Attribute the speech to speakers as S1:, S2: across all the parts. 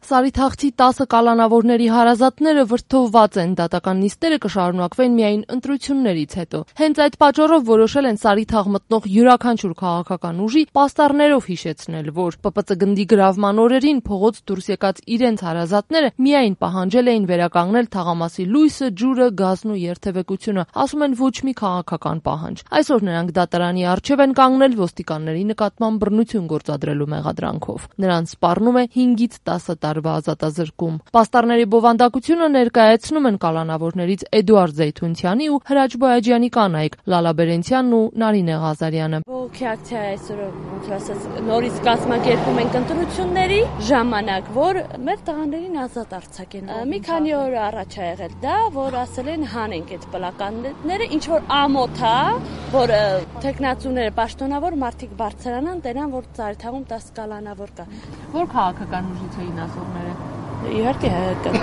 S1: Սարիթաղցի 10 կալանավորների հարազատները վրդովված են, դատական նիստերը կշարունակվեն միայն ընտրություններից հետո։ Հենց այդ պատճառով որոշել են Սարիթաղ մտնող յուրաքանչյուր քաղաքական ուժի պաստառներով հիշեցնել, որ ՊՊՑ գնդի գրավման օրերին փողոց դուրս եկած իրենց հարազատները միայն պահանջել էին վերականգնել թաղամասի լույսը, ջուրը, գազն ու երթևեկությունը, ասում են ոչ մի քաղաքական պահանջ։ Այսօր նրանք դատարանի առջև են կանգնել ոստիկանների նկատմամբ բռնություն գործադրելու մեղադրանքով։ Նրանց սպառնում է 5-ից 10 տարվա ազատազրկում։ Պաստառների բովանդակությունը ներկայացնում են կալանավորներից Էդուարդ Զեյթունցյանի ու Հրաչ Բոյաջյանի կանայք Լալա Բերենցյանն ու Նարինե Ղազարյանը։
S2: Բողոքի ակցիա այսօր նորից կազմակերպում ենք ընտրությունների ժամանակ, որ մեր տղաներին ազատ արձակեն։ Մի քանի օր առաջ է եղել դա, որ ասել են հանենք այդ պլականները, ինչ որ ամոթ է, որ տեխնացուները պաշտոնավոր մարդիկ բարձրանան, տենան, որ Սարիթաղում 10 կալանավոր կա։
S1: Որ քաղաքական ուժից էին ասողները։
S2: Իհարկե հայկական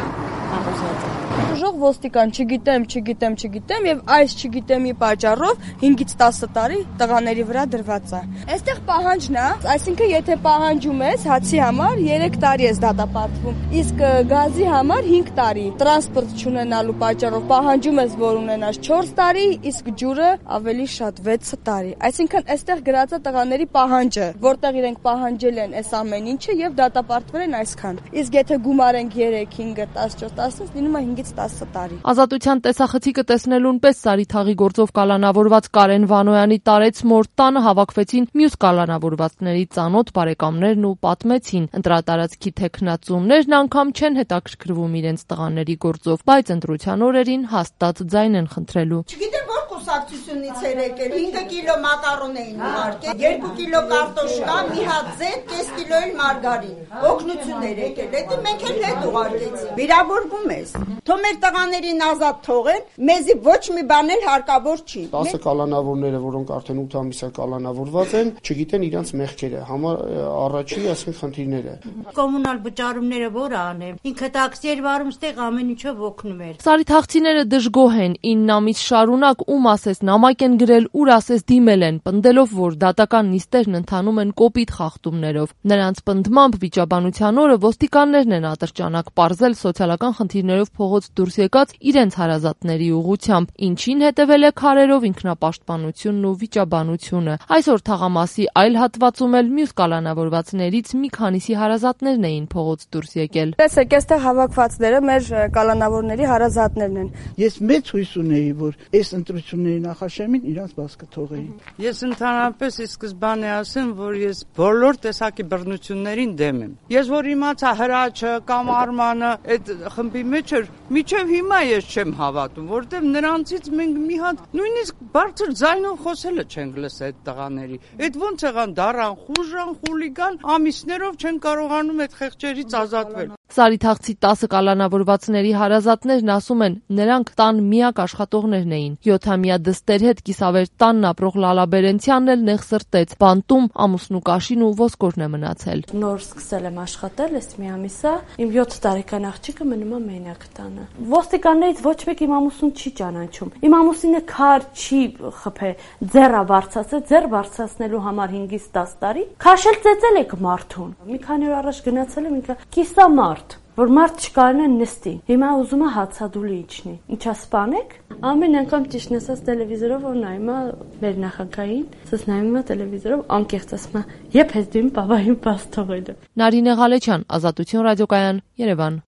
S2: համոզված եմ։
S3: Ուժող ոստիկան չգիտեմ եւ այս չգիտեմի պատճառով 5-ից 10 տարի տղաների վրա դրված է։ Այստեղ պահանջն է, այսինքն եթե պահանջում ես հացի համար 3 տարի ես դատապարտվում, իսկ գազի համար 5 տարի։ Տրանսպորտ չունենալու պատճառով պահանջում ես, որ ունենաս 4 տարի, իսկ ջուրը ավելի շատ 6 տարի։ Այսինքն այստեղ գրած է տղաների պահանջը, որտեղ իրենք պահանջել են այս ամեն ինչը եւ դատապարտվել են այսքան։ Իսկ եթե գումարենք 3, 5, 14, 10, լինում է 5-ից 10 տարի։
S1: Ազատության տեսախցիկը տեսնելուն պես Սարիթաղի գործով կալանավորված Կարեն Վանոյանի տարեց մոր տանը հավաքվեցին մյուս կալանավորվածների ծանոթ բարեկամներն ու պատմեցին։ Ընտրատարածքի տեխնացուներն անգամ չեն հետաքրքրվում իրենց տղաների գործով, բայց ընտրության օրերին հաստատ ձայն են խնդրելու։
S4: Չգիտեմ որ կուսակցությունից էր եկել, 5 կիլո մակարոն էին ուղարկել, 2 կիլո կարտոշկա, մի հատ ձետ, կես կիլո էլ մարգարին։ Օգնություն էր եկել, դա մենք էլ հետ ուղարկեցինք։ Վիրավորվում ես։ Թող մեր տղաներին ազատ թողեն, մեզի ոչ մի բան էլ հարկավոր չի։
S5: 10 կալանավորները, որոնք արդեն 8 ամիս է կալանավորված են, չգիտեն իրենց մեղքերը, առաջի ասեն խնդիրները։
S6: Կոմունալ վճարումները որ անեմ, ինքը տաքսի էր վարում, ստեղ ամեն ինչով օգնում էր։
S1: Սարիթաղցիները դժգոհ են, 9 ամիս շարունակ ում ասես նամակ են գրել, ուր ասես դիմել են, պնդելով, որ դատական նիստերն ընթանում են կոպիտ խախտումներով։ Նրանց պնդմամբ վիճաբանության օրը ոստիկաններն են ատրճանակ պարզել սոցիալական խնդիրներով փողոց դուրս եկած իրենց հարազատների ուղղությամբ, ինչին հետևել է քարերով ինքնապաշտպանությունն ու վիճաբանությունը։ Այսօր թաղամասի այլ հատվածում էլ մյուս կալանավորվածներից մի քանիսի հարազատներն էին փողոց դուրս եկել։
S3: Տեսեք, այստեղ հավաքվածները մեր կալանավորների հարազատներն են։
S7: Ես մեծ հույս ունեի, որ այս ընտրությունների նախաշեմին իրանց բաց կթողեին։
S8: Ես ընդհանրապես ի սկզբանե ասեմ, որ ես բոլոր տեսակի բռնություններին դեմ եմ։ Ես որ իմացա Հրաչը կամ Արմանը այդ խմբի մեջ էր, միջև հիմա ես չեմ հավատում, որտեղ նրանցից մենք մի հատ նույնիսկ բարձր ձայնով խոսելը չենք լսել այդ տղաների։ Այդ ոնց եղան դարան, խուժան, խուլիգան, ամիսներով չեն կարողանում այդ խեղճերից ազատվել։
S1: Սարիթաղցի 10 կալանավորվածների հարազատներն ասում են, նրանք տան միակ աշխատողներն էին։ 7-ամյա դստեր հետ կիսավեր տանն ապրող Լալա Բերենցյանն էլ նեղ սրտեց, բանտում ամուսնու կաշին ու ոսկորն է մնացել։
S2: Նոր սկսել եմ աշխատել, այս մի ամիս է, իմ 7 տարեկան աղջիկը մնում է մենակ տանը։ Ոստիկաններից ոչ մեկ իմ ամուսնուն չի ճանաչում։ Իմ ամուսինը քար չի խփե, ձեռա բարձրացել, ձեռ բարձրացնելու համար 5-ից 10 տարի։ Քաշել ծեծել եք մարդուն։ Մի քանի օր առաջ գնացել եմ, ինքը կիսամարդ, որ մարդ չկարողանա նստի։ Հիմա ուզում է հացադուլի իջնի։ Ինչա սպանեք։ Ամեն անգամ ճիշտն ասած տելևիզորով որ նայում է մեր նախագահային, ասես նայում է տելևիզորով անկեղծ ասում է՝ «Եփ ես դու իմ բաբային բաց թողել»։
S1: Նարինե Ղալեչյան, Ազատություն ռադիոկայան, Երևան։